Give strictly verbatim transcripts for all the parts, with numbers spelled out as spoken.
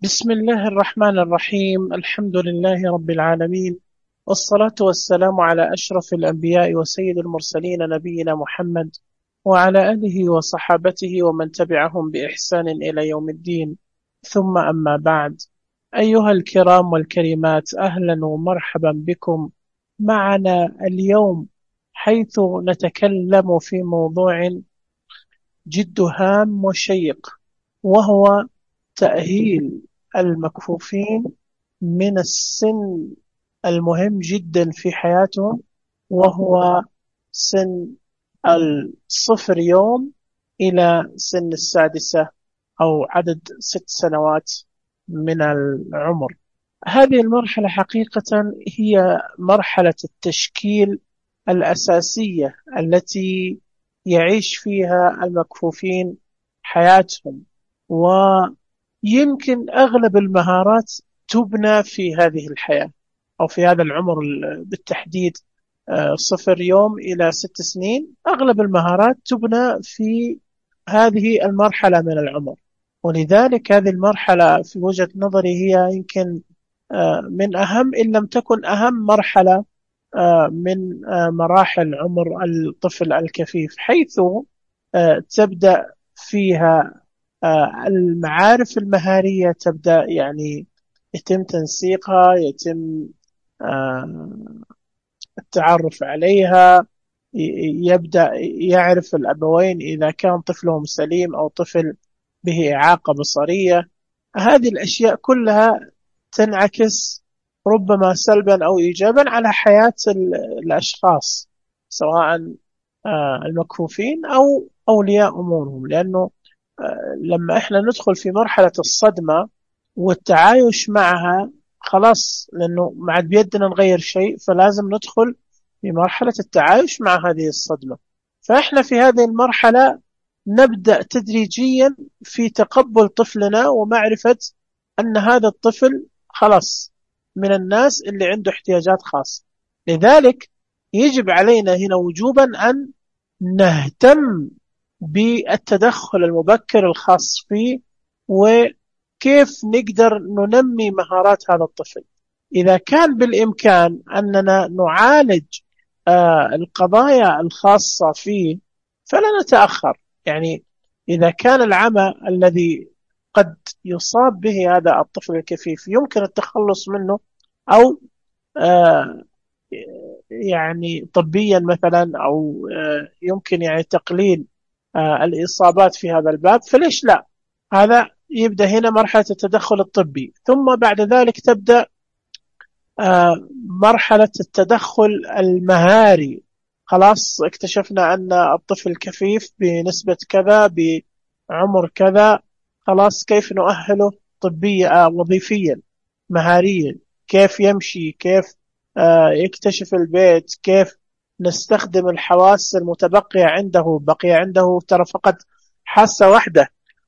بسم الله الرحمن الرحيم. الحمد لله رب العالمين، والصلاة والسلام على أشرف الأنبياء وسيد المرسلين نبينا محمد وعلى آله وصحابته ومن تبعهم بإحسان إلى يوم الدين. ثم أما بعد، أيها الكرام والكريمات، أهلا ومرحبا بكم معنا اليوم، حيث نتكلم في موضوع جد هام وشيق، وهو تأهيل المكفوفين من السن المهم جدا في حياتهم، وهو سن الصفر يوم إلى سن السادسة أو عدد ست سنوات من العمر. هذه المرحلة حقيقة هي مرحلة التشكيل الأساسية التي يعيش فيها المكفوفين حياتهم، ويمكن أغلب المهارات تبنى في هذه الحياة أو في هذا العمر بالتحديد. آه، صفر يوم إلى ست سنين، أغلب المهارات تبنى في هذه المرحلة من العمر. ولذلك هذه المرحلة في وجهة نظري هي يمكن آه، من أهم، إن لم تكن أهم مرحلة آه، من آه، مراحل عمر الطفل الكفيف، حيث آه، تبدأ فيها آه، المعارف المهارية، تبدأ يعني يتم تنسيقها، يتم آه، التعرف عليها، ي- يبدأ يعرف الأبوين إذا كان طفلهم سليم أو طفل به إعاقة بصرية. هذه الأشياء كلها تنعكس ربما سلبا أو إيجابا على حياة ال- الأشخاص، سواء آه، المكفوفين أو أولياء أمورهم. لأنه آه، لما إحنا ندخل في مرحلة الصدمة والتعايش معها، خلاص، لأنه ما عاد بيدنا نغير شيء، فلازم ندخل في مرحلة التعايش مع هذه الصدمة. فإحنا في هذه المرحلة نبدأ تدريجيا في تقبل طفلنا ومعرفة أن هذا الطفل خلاص من الناس اللي عنده احتياجات خاصة. لذلك يجب علينا هنا وجوبا أن نهتم بالتدخل المبكر الخاص فيه، وكيف نقدر ننمي مهارات هذا الطفل. إذا كان بالإمكان أننا نعالج آه، القضايا الخاصة فيه فلا نتأخر. يعني إذا كان العمى الذي قد يصاب به هذا الطفل الكفيف يمكن التخلص منه، أو آه، يعني طبيا مثلا، أو آه، يمكن يعني تقليل آه، الإصابات في هذا الباب، فليش لا؟ هذا يبدأ هنا مرحلة التدخل الطبي، ثم بعد ذلك تبدأ آه، مرحلة التدخل المهاري. خلاص اكتشفنا أن الطفل كفيف بنسبة كذا بعمر كذا، خلاص كيف نؤهله طبيا آه، وظيفيا مهاريا، كيف يمشي، كيف آه، يكتشف البيت، كيف نستخدم الحواس المتبقية عنده. بقي عنده ترى فقط حاسة واحدة،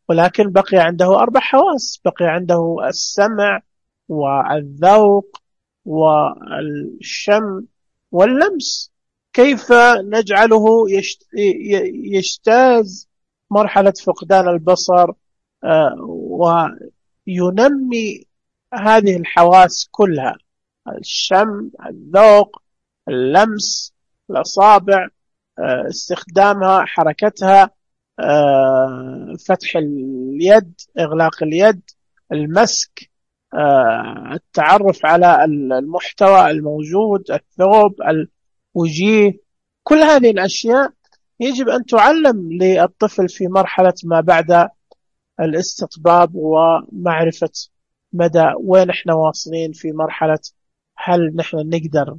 ولكن بقي عنده أربع حواس، بقي عنده السمع والذوق والشم واللمس. كيف نجعله يشت- ي- يجتاز مرحلة فقدان البصر آه، وينمي هذه الحواس كلها: الشم، الذوق، اللمس، الأصابع، آه، استخدامها، حركتها، آه، فتح اليد، إغلاق اليد، المسك، آه، التعرف على المحتوى الموجود، الثوب، الوجيه. كل هذه الأشياء يجب أن تعلم للطفل في مرحلة ما بعد الاستطباب، ومعرفة مدى وين احنا واصلين في مرحلة، هل نحن نقدر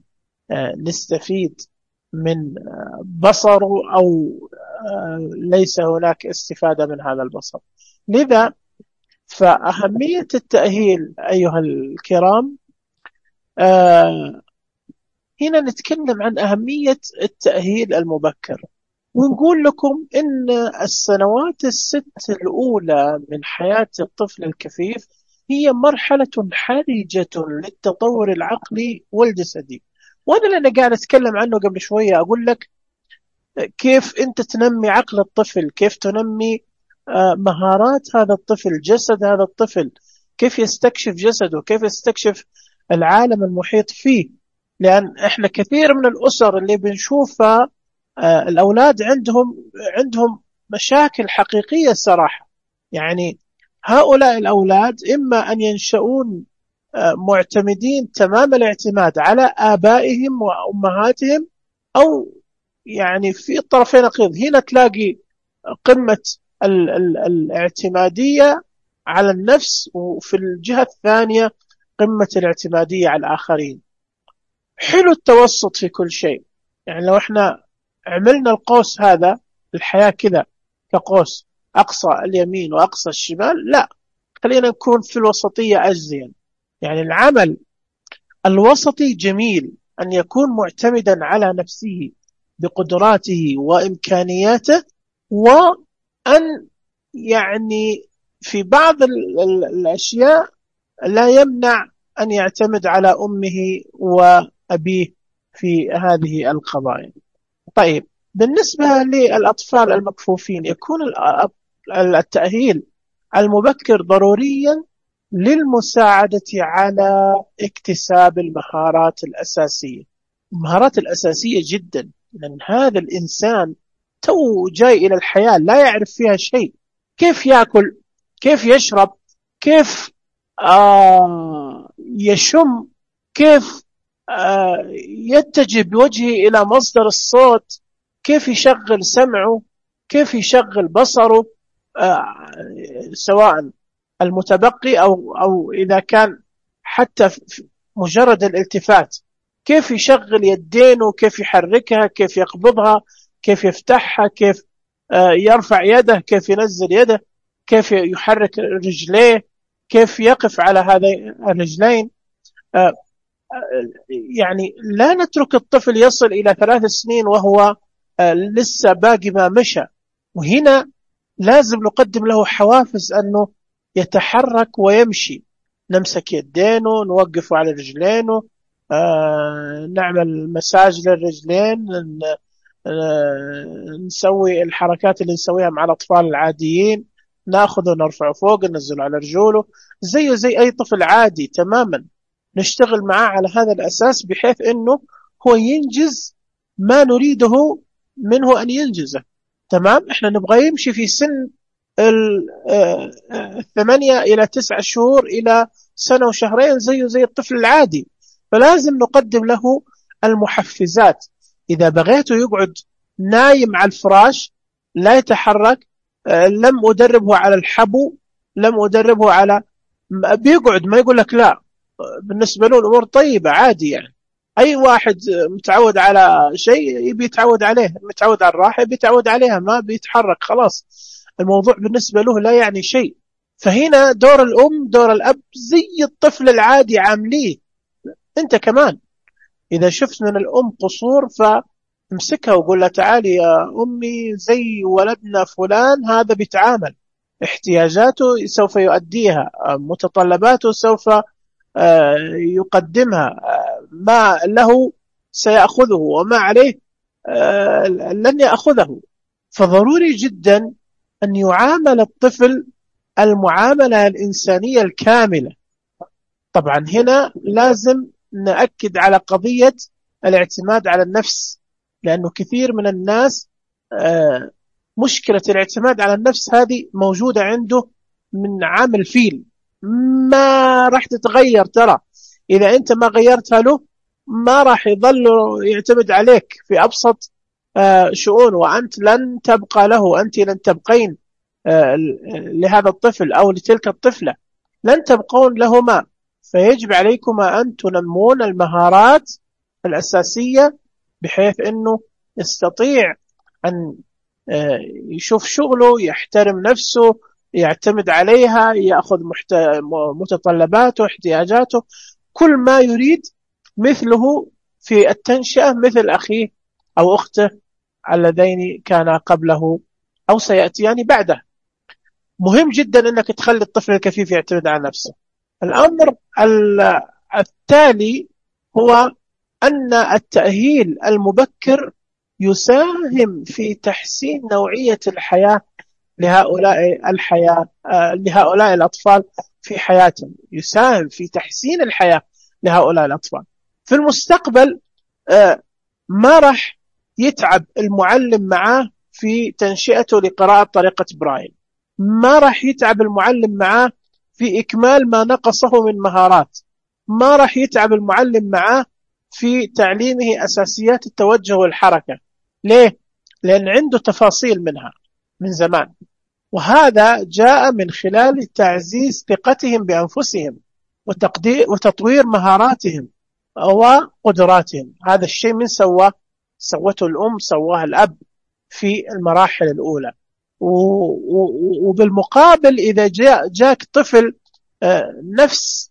آه، نستفيد من آه، بصره، أو آه، ليس هناك استفادة من هذا البصر. لذا فأهمية التأهيل أيها الكرام، آه، هنا نتكلم عن أهمية التأهيل المبكر، ونقول لكم إن السنوات الست الأولى من حياة الطفل الكفيف هي مرحلة حرجة للتطور العقلي والجسدي. وهذا اللي أنا قاعد أتكلم عنه قبل شوية، أقول لك كيف أنت تنمي عقل الطفل، كيف تنمي آه، مهارات هذا الطفل، جسد هذا الطفل، كيف يستكشف جسده، كيف يستكشف العالم المحيط فيه. لأن إحنا كثير من الأسر اللي بنشوفها آه، الأولاد عندهم عندهم مشاكل حقيقية صراحة. يعني هؤلاء الأولاد إما أن ينشؤون آه، معتمدين تمام الاعتماد على آبائهم وأمهاتهم، أو يعني في الطرفين نقيض. هنا تلاقي قمة ال ال الاعتمادية على النفس، وفي الجهة الثانية قمة الاعتمادية على الآخرين. حلو التوسط في كل شيء. يعني لو احنا عملنا القوس هذا، الحياة كذا كقوس، أقصى اليمين وأقصى الشمال، لا، خلينا نكون في الوسطية أجزيا. يعني العمل الوسطي جميل، أن يكون معتمدا على نفسه بقدراته وإمكانياته، وأن يعني في بعض ال ال الأشياء لا يمنع أن يعتمد على أمه وأبيه في هذه القضايا. طيب، بالنسبة للأطفال المكفوفين، يكون التأهيل المبكر ضروريا للمساعدة على اكتساب المهارات الأساسية. المهارات الأساسية جدا، لأن هذا الإنسان تو جاي إلى الحياة لا يعرف فيها شيء. كيف يأكل، كيف يشرب، كيف آه يشم، كيف آه يتجه بوجهه إلى مصدر الصوت، كيف يشغل سمعه، كيف يشغل بصره، آه سواء المتبقي أو, أو إذا كان حتى مجرد الالتفات، كيف يشغل يدينه، كيف يحركها، كيف يقبضها، كيف يفتحها، كيف آه يرفع يده، كيف ينزل يده، كيف يحرك رجليه، كيف يقف على هذين الرجلين. آه يعني لا نترك الطفل يصل إلى ثلاث سنين وهو آه لسه باقي ما مشى، وهنا لازم نقدم له حوافز أنه يتحرك ويمشي. نمسك يدينه، نوقفه على رجلينه، آه نعمل مساج للرجلين، آه نسوي الحركات اللي نسويها مع الأطفال العاديين، ناخذه نرفعه فوق، ننزله على رجوله زيه زي أي طفل عادي تماما. نشتغل معاه على هذا الأساس بحيث أنه هو ينجز ما نريده منه أن ينجزه. تمام، احنا نبغى يمشي في سن الثمانية إلى تسعة شهور إلى سنة وشهرين زيه زي الطفل العادي، فلازم نقدم له المحفزات. إذا بغيته يقعد نايم على الفراش لا يتحرك، لم أدربه على الحبو، لم أدربه على بيقعد، ما يقول لك لا، بالنسبة له الأمور طيبة عادي. يعني أي واحد متعود على شيء يبي يتعود عليه، متعود على الراحة بيتعود عليها، ما بيتحرك خلاص، الموضوع بالنسبة له لا يعني شيء. فهنا دور الأم دور الأب زي الطفل العادي عامليه. أنت كمان إذا شفت من الأم قصور فامسكها وقول لها تعالي يا أمي زي ولدنا فلان، هذا بيتعامل، احتياجاته سوف يؤديها، متطلباته سوف يقدمها، ما له سيأخذه وما عليه لن يأخذه. فضروري جدا أن يعامل الطفل المعاملة الإنسانية الكاملة. طبعا هنا لازم نأكد على قضية الاعتماد على النفس، لأنه كثير من الناس مشكلة الاعتماد على النفس هذه موجودة عنده من عام الفيل، ما راح تتغير. ترى إذا أنت ما غيرتها له ما راح يظل يعتمد عليك في أبسط شؤون، وأنت لن تبقى له، أنت لن تبقين لهذا الطفل أو لتلك الطفلة، لن تبقون لهما. فيجب عليكما أن تنمون المهارات الأساسية بحيث أنه يستطيع أن يشوف شغله، يحترم نفسه، يعتمد عليها، يأخذ متطلباته، احتياجاته، كل ما يريد مثله في التنشئة، مثل أخيه أو أخته اللذين كان قبله أو سيأتيان بعده. مهم جدا أنك تخلي الطفل الكفيف يعتمد على نفسه. الأمر التالي هو أن التأهيل المبكر يساهم في تحسين نوعية الحياة لهؤلاء الحياة، لهؤلاء الأطفال في حياتهم، يساهم في تحسين الحياة لهؤلاء الأطفال. في المستقبل ما راح يتعب المعلم معاه في تنشئته لقراءة طريقة برايل، ما راح يتعب المعلم معاه في إكمال ما نقصه من مهارات، ما راح يتعب المعلم معاه في تعليمه أساسيات التوجه والحركة. ليه؟ لأن عنده تفاصيل منها من زمان، وهذا جاء من خلال تعزيز ثقتهم بأنفسهم وتقدير وتطوير مهاراتهم وقدراتهم. هذا الشيء من سواه؟ سوته الأم، سواه الأب في المراحل الأولى. وبالمقابل إذا جاء جاك طفل نفس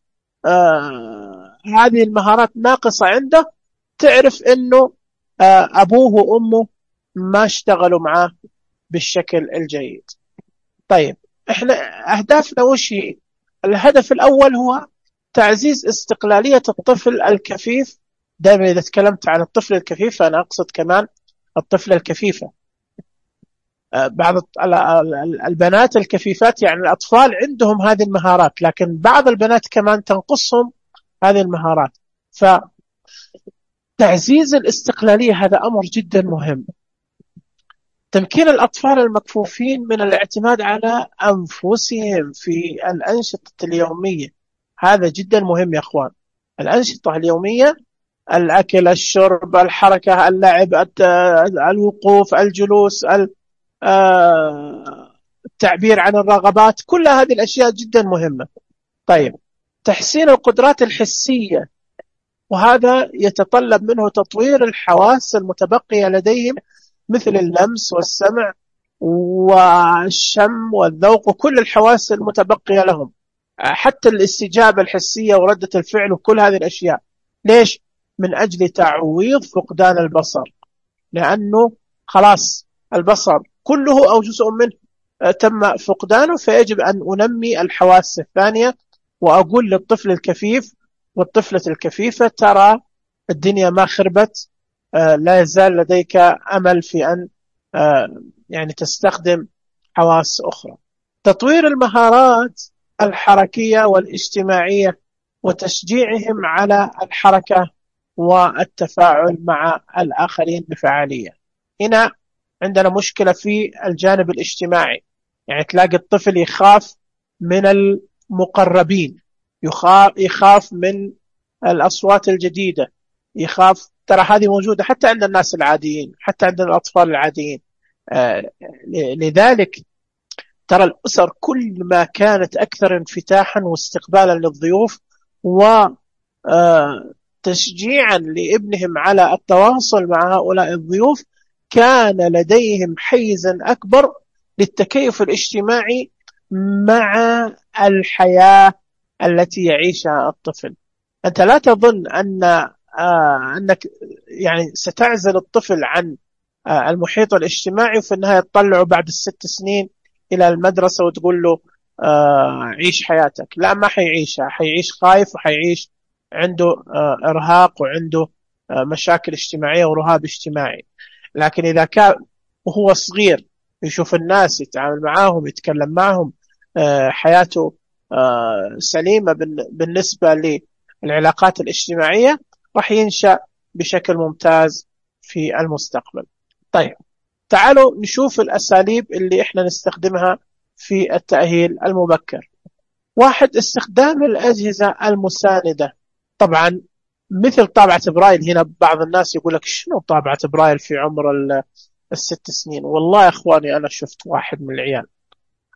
هذه المهارات ناقصة عنده، تعرف أنه أبوه وأمه ما اشتغلوا معاه بالشكل الجيد. طيب إحنا أهدافنا وش هي؟ الهدف الأول هو تعزيز استقلالية الطفل الكفيف. دائما إذا تكلمت عن الطفل الكفيف أنا أقصد كمان الطفل الكفيفة. بعض البنات الكفيفات يعني الأطفال عندهم هذه المهارات، لكن بعض البنات كمان تنقصهم هذه المهارات. فتعزيز الاستقلالية هذا أمر جدا مهم. تمكين الأطفال المكفوفين من الاعتماد على أنفسهم في الأنشطة اليومية، هذا جدا مهم يا أخوان. الأنشطة اليومية، الأكل، الشرب، الحركة، اللعب، الوقوف، الجلوس، التعبير عن الرغبات، كل هذه الأشياء جدا مهمة. طيب، تحسين القدرات الحسية، وهذا يتطلب منه تطوير الحواس المتبقية لديهم مثل اللمس والسمع والشم والذوق وكل الحواس المتبقية لهم، حتى الاستجابة الحسية وردة الفعل وكل هذه الأشياء. ليش؟ من أجل تعويض فقدان البصر، لأنه خلاص البصر كله أو جزء منه تم فقدانه، فيجب أن أنمي الحواس الثانية. وأقول للطفل الكفيف والطفلة الكفيفة ترى الدنيا ما خربت، لا يزال لديك أمل في أن يعني تستخدم حواس أخرى. تطوير المهارات الحركية والاجتماعية وتشجيعهم على الحركة والتفاعل مع الآخرين بفعالية. هنا عندنا مشكلة في الجانب الاجتماعي، يعني تلاقي الطفل يخاف من المقربين، يخاف من الأصوات الجديدة، يخاف. ترى هذه موجودة حتى عند الناس العاديين، حتى عند الأطفال العاديين. آه لذلك ترى الأسر كل ما كانت أكثر انفتاحا واستقبالا للضيوف وتشجيعا لابنهم على التواصل مع هؤلاء الضيوف، كان لديهم حيزا أكبر للتكيف الاجتماعي مع الحياة التي يعيشها الطفل. أنت لا تظن أن آه أنك يعني ستعزل الطفل عن آه المحيط الاجتماعي وفي النهاية تطلعه بعد الست سنين إلى المدرسة وتقول له آه عيش حياتك. لا، ما حيعيشها، حيعيش خايف وحيعيش عنده آه إرهاق وعنده آه مشاكل اجتماعية ورهاب اجتماعي. لكن إذا كان وهو صغير يشوف الناس، يتعامل معاهم، يتكلم معهم، آه حياته آه سليمة بالنسبة للعلاقات الاجتماعية، راح ينشأ بشكل ممتاز في المستقبل. طيب، تعالوا نشوف الأساليب اللي إحنا نستخدمها في التأهيل المبكر. واحد، استخدام الأجهزة المساندة. طبعا مثل طابعة برايل. هنا بعض الناس يقول لك شنو طابعة برايل في عمر الست سنين؟ والله يا أخواني أنا شفت واحد من العيال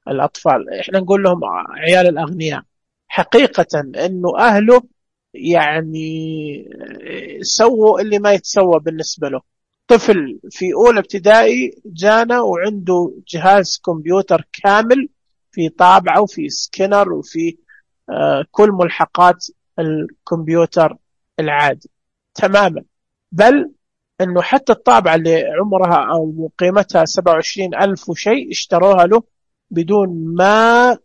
الأطفال، إحنا نقول لهم عيال الأغنياء، حقيقة أنه أهله يعني سووا اللي ما يتسوى بالنسبة له. طفل في أولى ابتدائي جانا وعنده جهاز كمبيوتر كامل في طابعة وفي سكينر وفي آه كل ملحقات الكمبيوتر العادي تماما. بل أنه حتى الطابعة اللي عمرها أو قيمتها سبعة وعشرين ألف وشيء اشتروها له بدون ما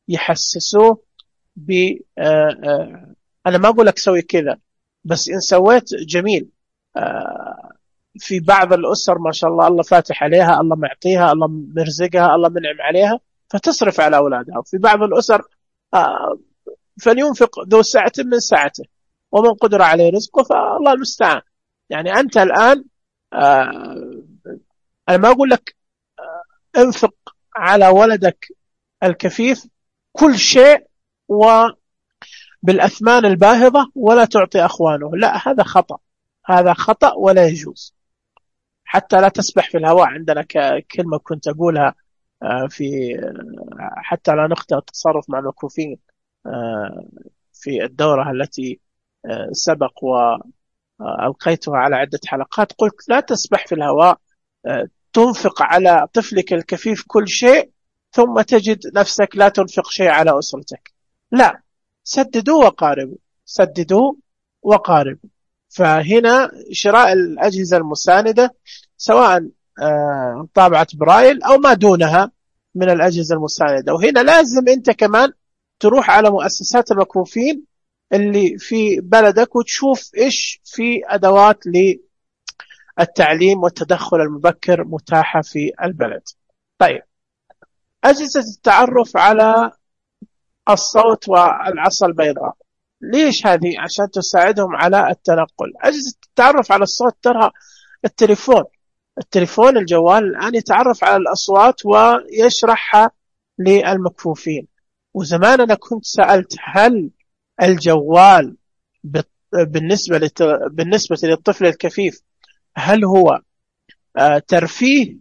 يحسسوه ب آه آه أنا ما أقول لك سوي كذا، بس إن سويت جميل. آه في بعض الأسر ما شاء الله الله فاتح عليها، الله معطيها، الله مرزقها، الله منعم عليها، فتصرف على أولادها. وفي بعض الأسر آه، فلينفق ذو سعة من سعته ومن قدر عليه رزقه فالله المستعان. يعني أنت الآن آه، أنا ما أقول لك انفق على ولدك الكفيف كل شيء وبالأثمان الباهظة ولا تعطي أخوانه، لا، هذا خطأ، هذا خطأ ولا يجوز. حتى لا تسبح في الهواء، عندنا كلمة كنت أقولها في حتى لا نخطئ التصرف مع المكفوفين في الدورة التي سبق وألقيتها على عدة حلقات، قلت لا تسبح في الهواء تنفق على طفلك الكفيف كل شيء ثم تجد نفسك لا تنفق شيء على أسرتك، لا، سددوا وقاربوا، سددوا وقاربوا. فهنا شراء الأجهزة المساندة سواء طابعة برايل أو ما دونها من الأجهزة المساندة. وهنا لازم أنت كمان تروح على مؤسسات المكفوفين اللي في بلدك وتشوف إيش في أدوات للتعليم والتدخل المبكر متاحة في البلد. طيب، أجهزة التعرف على الصوت والعصا البيضاء، ليش هذه؟ عشان تساعدهم على التنقل. أجهزة التعرف على الصوت ترى التليفون، التليفون الجوال الآن يتعرف على الأصوات ويشرحها للمكفوفين. وزمان أنا كنت سألت هل الجوال بالنسبة لت... بالنسبة للطفل الكفيف هل هو آه ترفيه؟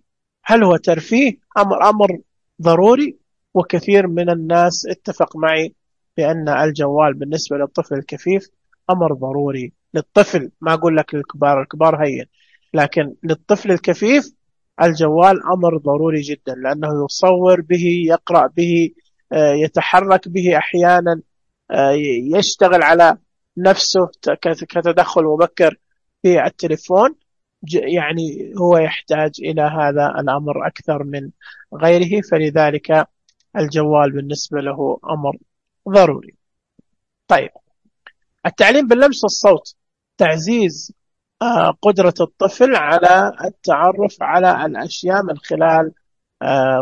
هل هو ترفيه أمر أمر ضروري؟ وكثير من الناس اتفق معي بأن الجوال بالنسبة للطفل الكفيف أمر ضروري للطفل، ما أقول لك للكبار، الكبار هين، لكن للطفل الكفيف الجوال أمر ضروري جدا، لأنه يصور به، يقرأ به، يتحرك به أحيانا، يشتغل على نفسه كتدخل مبكر في التليفون. يعني هو يحتاج إلى هذا الأمر أكثر من غيره، فلذلك الجوال بالنسبة له أمر ضروري. طيب، التعليم باللمس والصوت، تعزيز قدرة الطفل على التعرف على الأشياء من خلال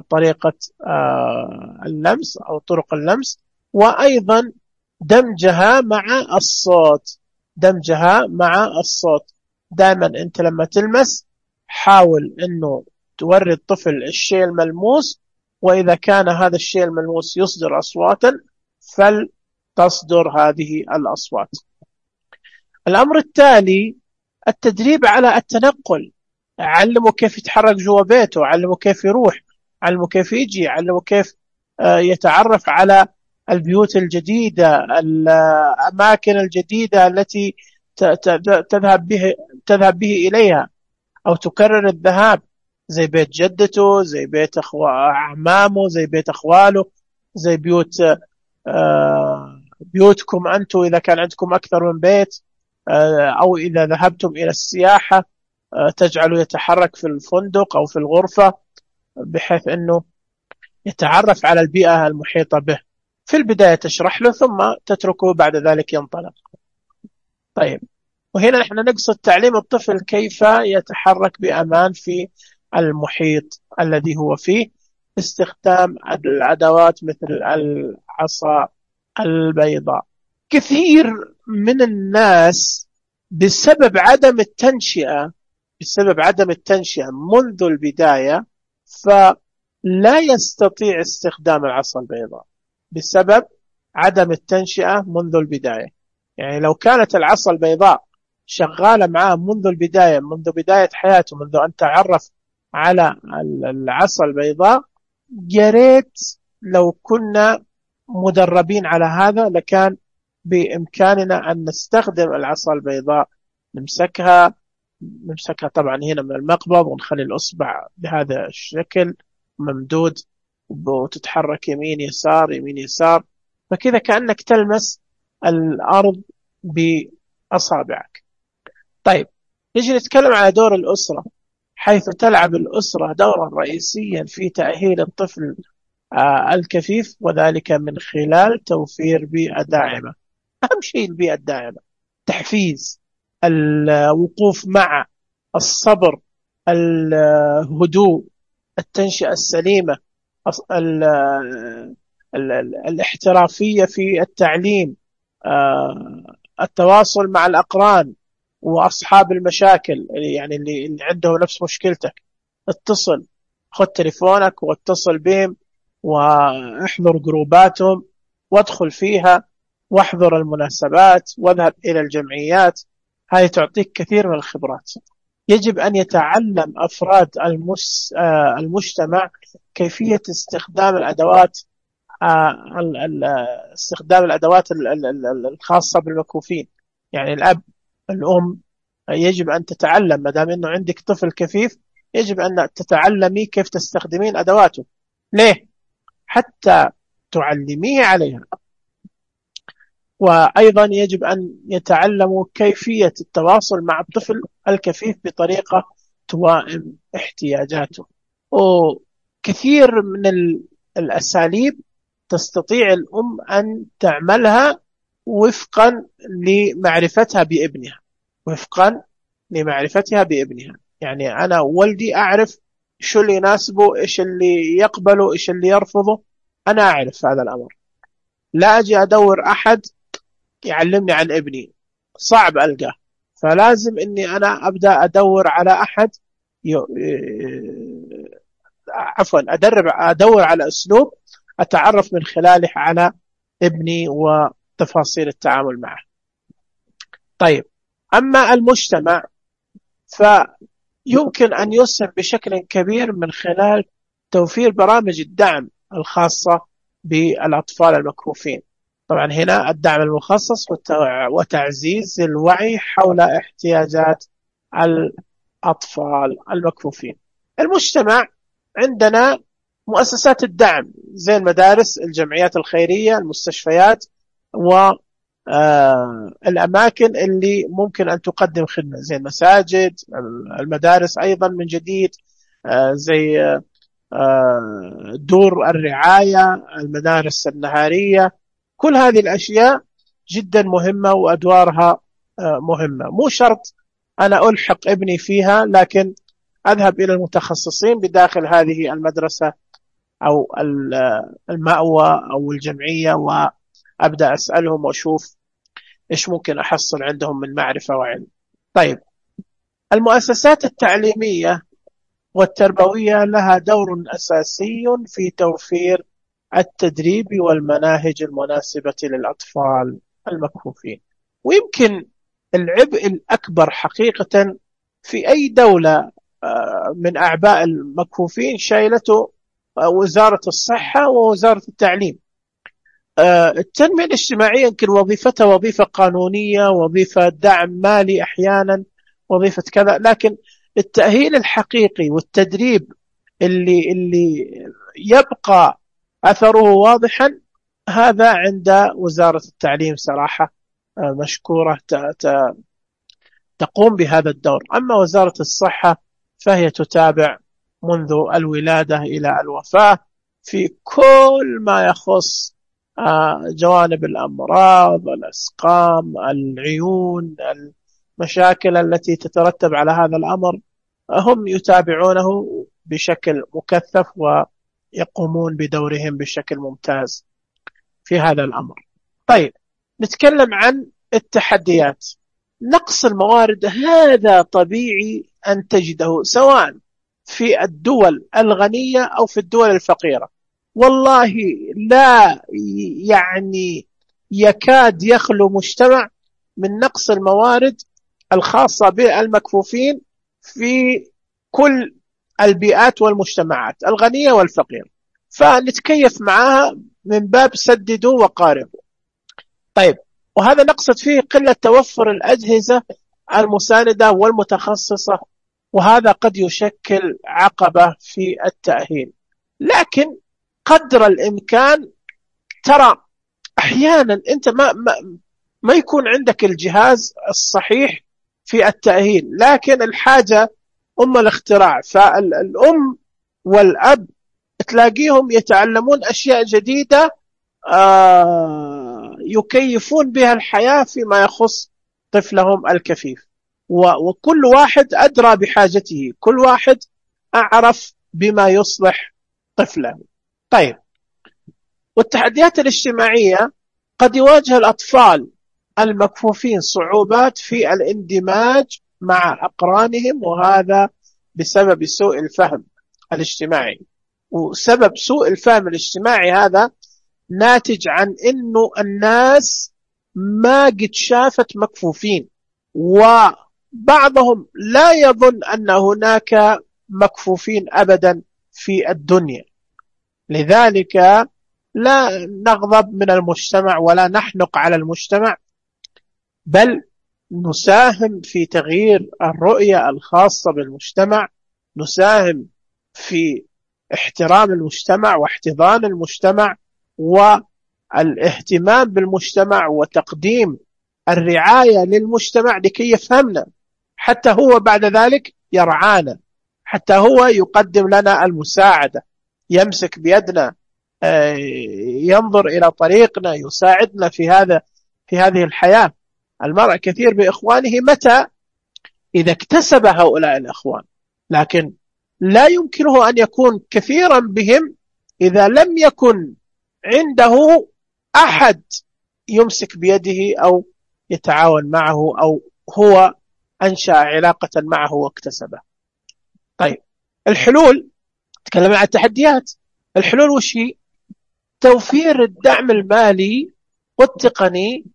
طريقة اللمس أو طرق اللمس، وأيضا دمجها مع الصوت، دمجها مع الصوت. دائما أنت لما تلمس حاول أنه توري الطفل الشيء الملموس، وإذا كان هذا الشيء الملموس يصدر أصواتا فلتصدر هذه الأصوات. الأمر التالي التدريب على التنقل، علمه كيف يتحرك جوا بيته، علمه كيف يروح، علمه كيف يجي، علمه كيف يتعرف على البيوت الجديدة، الأماكن الجديدة التي تذهب به تذهب به إليها أو تكرر الذهاب، زي بيت جدته، زي بيت أعمامه، زي بيت أخواله، زي بيوت بيوتكم أنتم إذا كان عندكم أكثر من بيت، أو إذا ذهبتم إلى السياحة تجعله يتحرك في الفندق أو في الغرفة بحيث أنه يتعرف على البيئة المحيطة به. في البداية تشرح له ثم تتركه بعد ذلك ينطلق. طيب، وهنا نحن نقصد تعليم الطفل كيف يتحرك بأمان في المحيط الذي هو فيه، استخدام الأدوات مثل العصا البيضاء. كثير من الناس بسبب عدم التنشئة بسبب عدم التنشئة منذ البداية فلا يستطيع استخدام العصا البيضاء بسبب عدم التنشئة منذ البداية. يعني لو كانت العصا البيضاء شغالة معاه منذ البداية، منذ بداية حياته، منذ أن تعرف على العصا البيضاء، يا ريت لو كنا مدربين على هذا لكان بإمكاننا أن نستخدم العصا البيضاء، نمسكها نمسكها طبعا هنا من المقبض ونخلي الأصبع بهذا الشكل ممدود وتتحرك يمين يسار يمين يسار، فكذا كأنك تلمس الأرض بأصابعك. طيب، نجي نتكلم على دور الأسرة، حيث تلعب الأسرة دورا رئيسيا في تأهيل الطفل الكفيف، وذلك من خلال توفير بيئة داعمة. أهم شيء البيئة الداعمة، تحفيز، الوقوف مع الصبر، الهدوء، التنشئة السليمة، ال ال ال الاحترافية في التعليم، آه، التواصل مع الأقران وأصحاب المشاكل، يعني اللي, اللي عنده نفس مشكلتك، اتصل، خذ تليفونك واتصل بهم، واحضر جروباتهم وادخل فيها، واحضر المناسبات، واذهب إلى الجمعيات. هذه تعطيك كثير من الخبرات. يجب أن يتعلم أفراد المس... آه، المجتمع كيفية استخدام الأدوات، آه، ال- ال- استخدام الأدوات ال- ال- ال- الخاصة بالمكفوفين. يعني الأب، الأم، يجب أن تتعلم، ما دام أنه عندك طفل كفيف يجب أن تتعلمي كيف تستخدمين أدواته. ليه؟ حتى تعلميه عليها. وأيضا يجب أن يتعلموا كيفية التواصل مع الطفل الكفيف بطريقة توائم احتياجاته. وكثير من ال- الأساليب تستطيع الأم أن تعملها وفقا لمعرفتها بابنها، وفقا لمعرفتها بابنها. يعني أنا ولدي أعرف شو اللي يناسبه، إيش اللي يقبله، إيش اللي يرفضه. أنا أعرف هذا الأمر. لا أجي أدور أحد يعلمني عن ابني، صعب ألقاه. فلازم أني أنا أبدأ أدور على أحد ي... عفوا أدرب أدور على أسلوب أتعرف من خلاله على ابني وتفاصيل التعامل معه. طيب، أما المجتمع فيمكن أن يسهم بشكل كبير من خلال توفير برامج الدعم الخاصة بالأطفال المكفوفين. طبعا هنا الدعم المخصص وتعزيز الوعي حول احتياجات الأطفال المكفوفين. المجتمع عندنا مؤسسات الدعم زي المدارس، الجمعيات الخيرية، المستشفيات، والأماكن اللي ممكن أن تقدم خدمة زي المساجد، المدارس أيضا من جديد، زي دور الرعاية، المدارس النهارية. كل هذه الأشياء جدا مهمة وأدوارها مهمة. مو شرط أنا ألحق ابني فيها، لكن أذهب إلى المتخصصين بداخل هذه المدرسة أو المأوى أو الجمعية، وأبدأ أسألهم وأشوف إيش ممكن أحصل عندهم من معرفة وعلم. طيب، المؤسسات التعليمية والتربوية لها دور أساسي في توفير التدريب والمناهج المناسبة للأطفال المكفوفين. ويمكن العبء الأكبر حقيقة في أي دولة من أعباء المكفوفين شايلته وزارة الصحة ووزارة التعليم. التنمية الاجتماعية يمكن وظيفتها وظيفة قانونية، وظيفة دعم مالي أحيانا، وظيفة كذا، لكن التأهيل الحقيقي والتدريب اللي اللي يبقى أثره واضحا هذا عند وزارة التعليم صراحة، مشكورة تقوم بهذا الدور. أما وزارة الصحة فهي تتابع منذ الولادة إلى الوفاة في كل ما يخص جوانب الأمراض، الأسقام، العيون، المشاكل التي تترتب على هذا الأمر. هم يتابعونه بشكل مكثف ويقومون بدورهم بشكل ممتاز في هذا الأمر. طيب، نتكلم عن التحديات. نقص الموارد هذا طبيعي أن تجده سواء في الدول الغنية أو في الدول الفقيرة. والله لا يعني يكاد يخلو مجتمع من نقص الموارد الخاصة بالمكفوفين في كل البيئات والمجتمعات الغنية والفقيرة، فنتكيف معها من باب سددوا وقاربوا. طيب، وهذا نقصد فيه قلة توفر الأجهزة المساندة والمتخصصة، وهذا قد يشكل عقبة في التأهيل. لكن قدر الإمكان، ترى أحيانا أنت ما, ما, ما يكون عندك الجهاز الصحيح في التأهيل، لكن الحاجة أم الاختراع. فالأم والأب تلاقيهم يتعلمون أشياء جديدة آه يكيفون بها الحياة فيما يخص طفلهم الكفيف. وكل واحد أدرى بحاجته، كل واحد أعرف بما يصلح طفله. طيب، والتحديات الاجتماعية قد يواجه الأطفال المكفوفين صعوبات في الاندماج مع أقرانهم، وهذا بسبب سوء الفهم الاجتماعي. وسبب سوء الفهم الاجتماعي هذا ناتج عن أنه الناس ما قد شافت مكفوفين، وبعضهم لا يظن أن هناك مكفوفين أبدا في الدنيا. لذلك لا نغضب من المجتمع ولا نحنق على المجتمع، بل نساهم في تغيير الرؤية الخاصة بالمجتمع، نساهم في احترام المجتمع واحتضان المجتمع والاهتمام بالمجتمع وتقديم الرعاية للمجتمع لكي يفهمنا، حتى هو بعد ذلك يرعانا، حتى هو يقدم لنا المساعدة، يمسك بيدنا، ينظر إلى طريقنا، يساعدنا في هذا في هذه الحياة. المرء كثير بإخوانه متى إذا اكتسب هؤلاء الإخوان، لكن لا يمكنه أن يكون كثيرا بهم إذا لم يكن عنده أحد يمسك بيده أو يتعاون معه أو هو أنشأ علاقة معه واكتسبه. طيب، الحلول، تكلم عن التحديات. الحلول وش هي؟ توفير الدعم المالي والتقني،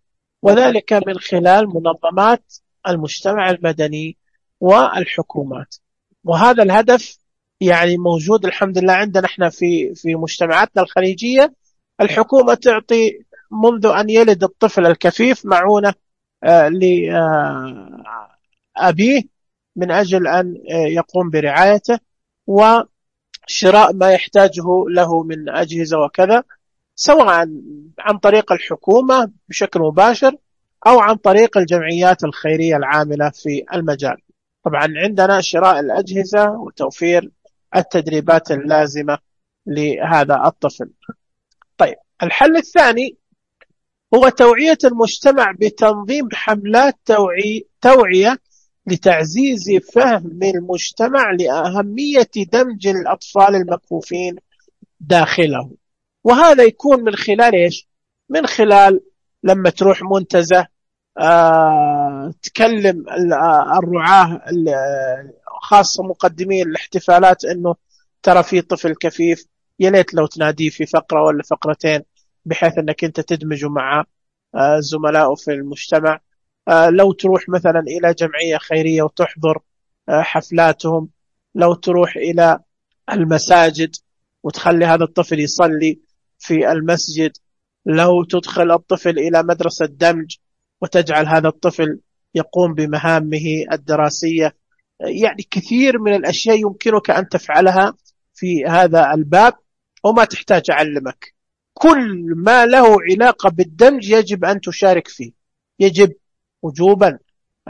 وذلك من خلال منظمات المجتمع المدني والحكومات. وهذا الهدف يعني موجود الحمد لله عندنا احنا في في مجتمعاتنا الخليجية. الحكومة تعطي منذ أن يلد الطفل الكفيف معونة آه لأبيه من أجل أن آه يقوم برعايته وشراء ما يحتاجه له من أجهزة وكذا، سواء عن طريق الحكومة بشكل مباشر أو عن طريق الجمعيات الخيرية العاملة في المجال. طبعا عندنا شراء الأجهزة وتوفير التدريبات اللازمة لهذا الطفل. طيب، الحل الثاني هو توعية المجتمع بتنظيم حملات توعي توعية لتعزيز فهم المجتمع لأهمية دمج الأطفال المكفوفين داخله. وهذا يكون من خلال إيش؟ من خلال لما تروح منتزه آه، تكلم الرعاة خاصة مقدمين الاحتفالات أنه ترى في طفل كفيف، يليت لو تناديه في فقرة ولا فقرتين بحيث أنك أنت تدمج مع آه زملائه في المجتمع. آه لو تروح مثلا إلى جمعية خيرية وتحضر آه حفلاتهم، لو تروح إلى المساجد وتخلي هذا الطفل يصلي في المسجد، لو تدخل الطفل إلى مدرسة دمج وتجعل هذا الطفل يقوم بمهامه الدراسية. يعني كثير من الأشياء يمكنك أن تفعلها في هذا الباب وما تحتاج أعلمك. كل ما له علاقة بالدمج يجب أن تشارك فيه، يجب وجوبا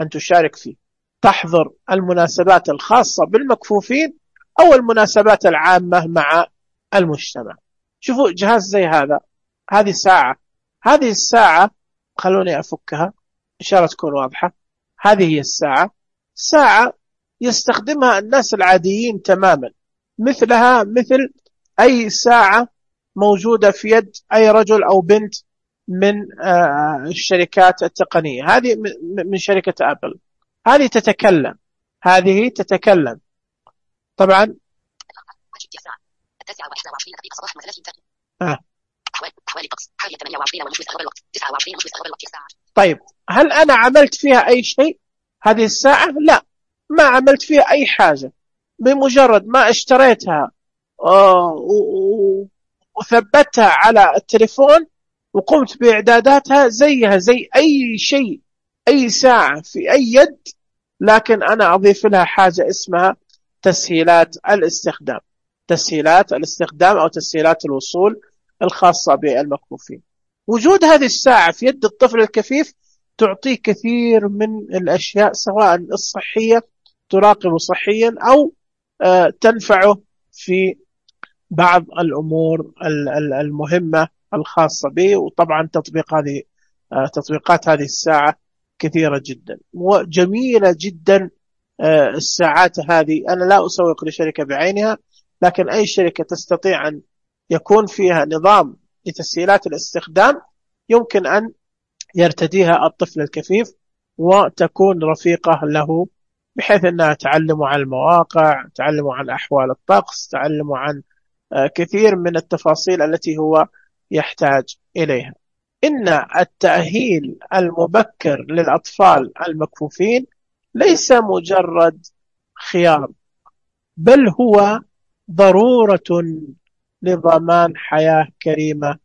أن تشارك فيه، تحضر المناسبات الخاصة بالمكفوفين أو المناسبات العامة مع المجتمع. شوفوا جهاز زي هذا، هذه ساعة، هذه الساعة خلوني أفكها إن شاء الله تكون واضحة. هذه هي الساعة، ساعة يستخدمها الناس العاديين تماما، مثلها مثل أي ساعة موجودة في يد أي رجل أو بنت من الشركات التقنية. هذه من شركة أبل، هذه تتكلم، هذه تتكلم طبعا. التاسعة وإحدى وعشرين دقيقة صباحا وثلاثين دقيقة. آه. أحوال أحوال الطقس حاليا ثمانية وعشرين ونصف استغرب الوقت تسعة وعشرين ونصف استغرب الوقت الساعة. طيب، هل أنا عملت فيها أي شيء هذه الساعة؟ لا، ما عملت فيها أي حاجة. بمجرد ما اشتريتها وثبتها على التليفون وقمت بإعداداتها زيها زي أي شيء، أي ساعة في أي يد، لكن أنا أضيف لها حاجة اسمها تسهيلات الاستخدام، تسهيلات الاستخدام أو تسهيلات الوصول الخاصة بالمكفوفين. وجود هذه الساعة في يد الطفل الكفيف تعطيه كثير من الأشياء، سواء الصحية تراقب صحيا أو تنفعه في بعض الأمور المهمة الخاصة به. وطبعا تطبيق هذه تطبيقات هذه الساعة كثيرة جدا وجميلة جدا. الساعات هذه أنا لا أسوق لشركة بعينها، لكن أي شركة تستطيع أن يكون فيها نظام لتسهيلات الاستخدام يمكن أن يرتديها الطفل الكفيف وتكون رفيقة له، بحيث أنها تعلم عن المواقع، تعلم عن أحوال الطقس، تعلم عن كثير من التفاصيل التي هو يحتاج إليها. إن التأهيل المبكر للأطفال المكفوفين ليس مجرد خيار، بل هو ضرورة لضمان حياة كريمة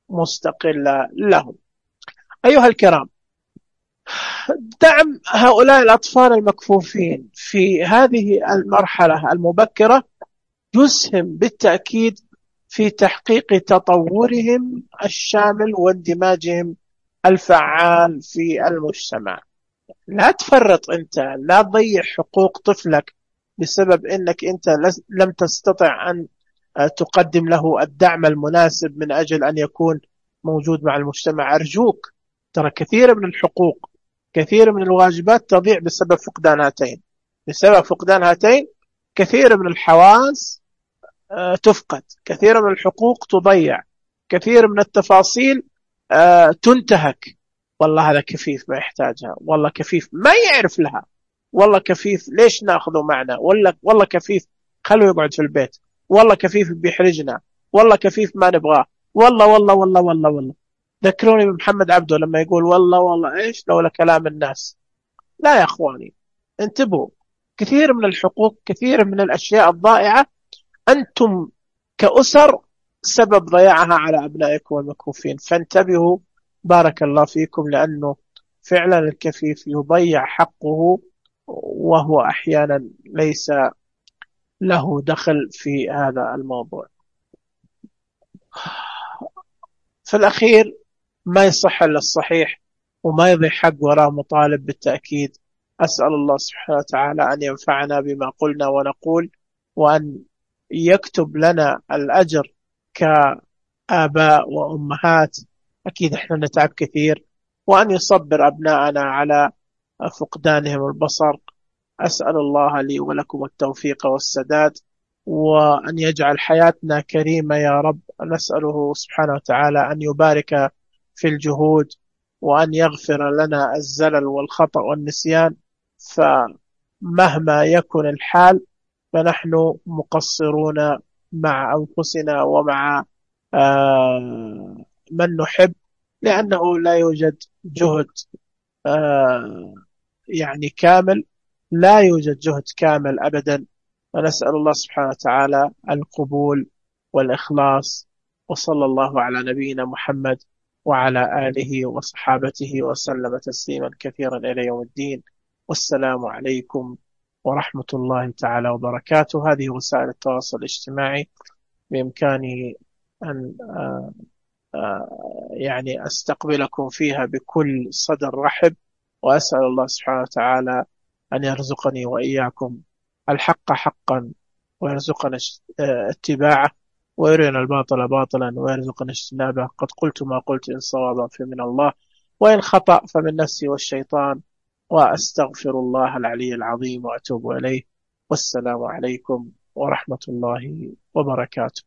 ومستقلة لهم. أيها الكرام، دعم هؤلاء الأطفال المكفوفين في هذه المرحلة المبكرة يسهم بالتأكيد في تحقيق تطورهم الشامل واندماجهم الفعال في المجتمع. لا تفرط أنت، لا تضيع حقوق طفلك بسبب أنك أنت لم تستطع أن تقدم له الدعم المناسب من أجل أن يكون موجود مع المجتمع. أرجوك، ترى كثير من الحقوق، كثير من الواجبات تضيع بسبب فقدان هاتين. بسبب فقدان هاتين كثير من الحواس تفقد، كثير من الحقوق تضيع، كثير من التفاصيل تنتهك. والله هذا كفيف ما يحتاجها، والله كفيف ما يعرف لها، والله كفيف ليش ناخذه معنا، والله والله كفيف خلوه يقعد في البيت، والله كفيف بيحرجنا، والله كفيف ما نبغاه، والله والله والله والله والله. ذكروني بمحمد عبده لما يقول والله والله ايش لولا كلام الناس. لا يا اخواني، انتبهوا، كثير من الحقوق، كثير من الاشياء الضائعة أنتم كأسر سبب ضياعها على أبنائكم المكفوفين، فانتبهوا بارك الله فيكم، لأنه فعلا الكفيف يضيع حقه وهو أحيانا ليس له دخل في هذا الموضوع. في الأخير ما يصح إلا الصحيح وما يضيع حق وراء مطالب بالتأكيد. أسأل الله سبحانه وتعالى أن ينفعنا بما قلنا ونقول، وأن يكتب لنا الأجر كآباء وأمهات، أكيد إحنا نتعب كثير، وأن يصبر أبناءنا على فقدانهم البصر. أسأل الله لي ولكم التوفيق والسداد، وأن يجعل حياتنا كريمة يا رب. نسأله سبحانه وتعالى أن يبارك في الجهود، وأن يغفر لنا الزلل والخطأ والنسيان، فمهما يكن الحال فنحن مقصرون مع أنفسنا ومع آه من نحب، لأنه لا يوجد جهد آه يعني كامل، لا يوجد جهد كامل أبدا. ونسأل الله سبحانه وتعالى القبول والإخلاص، وصلى الله على نبينا محمد وعلى آله وصحابته وسلم تسليما كثيرا إلى يوم الدين. والسلام عليكم ورحمة الله تعالى وبركاته. هذه وسائل التواصل الاجتماعي بإمكاني أن آآ آآ يعني أستقبلكم فيها بكل صدر رحب، وأسأل الله سبحانه وتعالى أن يرزقني وإياكم الحق حقا ويرزقنا اتباعه، ويرينا الباطل باطلا ويرزقنا اجتنابه. قد قلت ما قلت، إن صوابا فمن الله، وإن خطأ فمن نفسي والشيطان، وأستغفر الله العلي العظيم وأتوب إليه. والسلام عليكم ورحمة الله وبركاته.